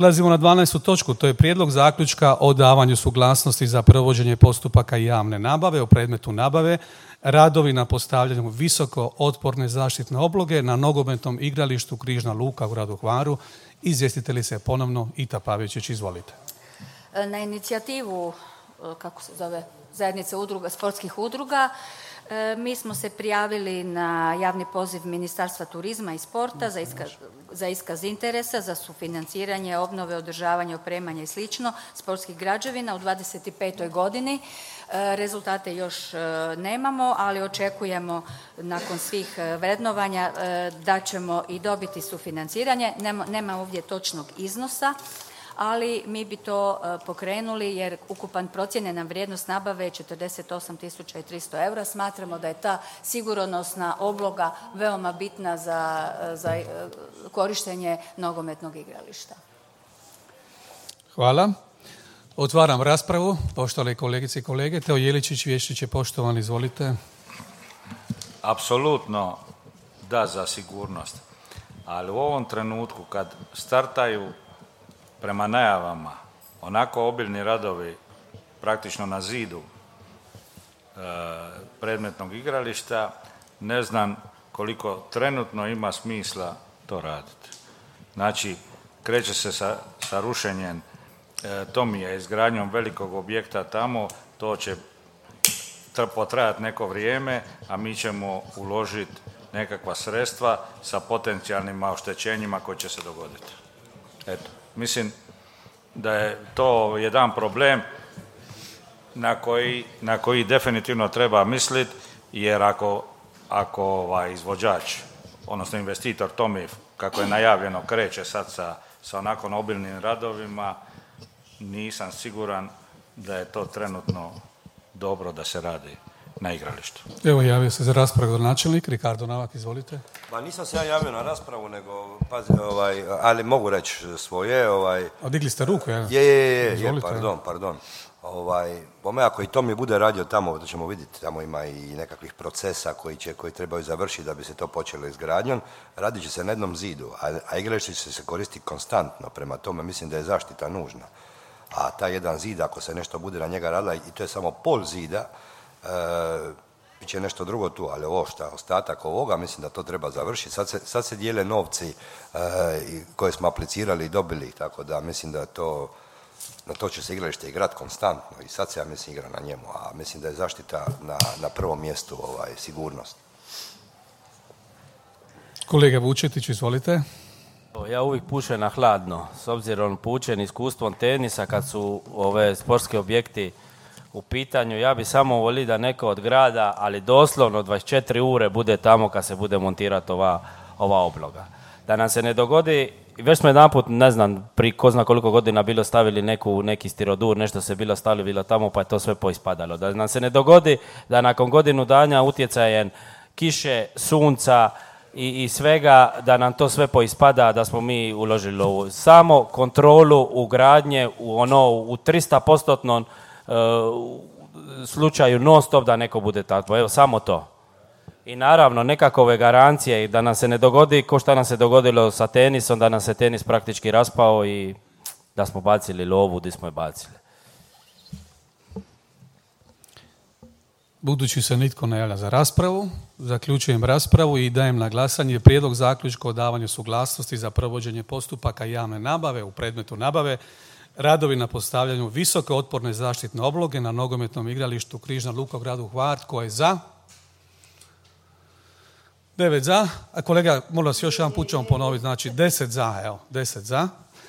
Prelazimo na 12. točku, to je prijedlog zaključka o davanju suglasnosti za provođenje postupaka javne nabave u predmetu nabave, radovi na postavljanju visoko otporne zaštitne obloge na nogometnom igralištu Križna luka u gradu Hvaru. Izvjestitelji se ponovno Ita Pavičić, izvolite. Na inicijativu, kako se zove, zajednice udruga, sportskih udruga, mi smo se prijavili na javni poziv Ministarstva turizma i sporta za iskaz interesa za sufinanciranje, obnove, održavanje, opremanje i slično sportskih građevina u 2025. godini. Rezultate još nemamo, ali očekujemo nakon svih vrednovanja da ćemo i dobiti sufinanciranje. Nema ovdje točnog iznosa, ali mi bi to pokrenuli jer ukupan procijenjena vrijednost nabave je 48.300 eura. Smatramo da je ta sigurnosna obloga veoma bitna za korištenje nogometnog igrališta. Hvala. Otvaram raspravu. Poštovane kolegice i kolege, Teo Jeličić, Vješčić je poštovan, izvolite. Apsolutno da za sigurnost, ali u ovom trenutku kad startaju prema najavama onako obilni radovi praktično na zidu predmetnog igrališta, ne znam koliko trenutno ima smisla to raditi. Znači, kreće se sa rušenjem Tomija, izgradnjom velikog objekta tamo, to će potrajati neko vrijeme, a mi ćemo uložiti nekakva sredstva sa potencijalnim oštećenjima koji će se dogoditi. Eto, mislim da je to jedan problem na koji definitivno treba misliti, jer ako izvođač, odnosno investitor Tomi, kako je najavljeno, kreće sad sa onako obilnim radovima, nisam siguran da je to trenutno dobro da se radi na igralištu. Evo, javio se za raspravu načelnik Ricardo Navak, izvolite. Pa nisam se ja javio na raspravu, nego, pazi, ali mogu reći svoje. Digli ste ruku, ja? Je, pardon. Bome, ako i to mi bude radio tamo, da ćemo vidjeti, tamo ima i nekakvih procesa koji trebaju završiti da bi se to počelo izgradnjom, radit će se na jednom zidu, a igralište će se koristiti konstantno, prema tome mislim da je zaštita nužna. A taj jedan zid, ako se nešto bude na njega radila, i to je samo pol zida, bit će nešto drugo tu, ali ostatak ovoga, mislim da to treba završiti. Sad se dijele novci koje smo aplicirali i dobili, tako da mislim da na to će se igralište igrati konstantno i sad se, ja mislim, igra na njemu, a mislim da je zaštita na prvom mjestu sigurnost. Kolega Vučetić, izvolite. Ja uvijek pušem na hladno, s obzirom pučen iskustvom tenisa kad su ove sportski objekti u pitanju. Ja bi samo volio da neko od grada, ali doslovno 24 ure bude tamo kad se bude montirati ova obloga. Da nam se ne dogodi, već smo jedanput, ne znam, pri ko zna koliko godina bilo stavili neki stirodur, nešto se bilo stavilo tamo pa je to sve poispadalo. Da nam se ne dogodi da nakon godinu dana utjecajem kiše, sunca i svega, da nam to sve poispada, da smo mi uložili u samo kontrolu ugradnje u 300% slučaju non stop da neko bude tako. Evo, samo to. I naravno, nekakove garancije da nam se ne dogodi ko što nam se dogodilo sa tenisom, da nam se tenis praktički raspao i da smo bacili lovu gdje smo je bacili. Budući se nitko ne javlja za raspravu, zaključujem raspravu i dajem na glasanje prijedlog zaključka o davanju suglasnosti za provođenje postupaka javne nabave u predmetu nabave, radovi na postavljanju visoke otporne zaštitne obloge na nogometnom igralištu Križna luka u gradu Hvar. Tko je za? 9 za. A kolega, molim vas, još jedan put ćemo ponoviti, znači 10 za, 10 za.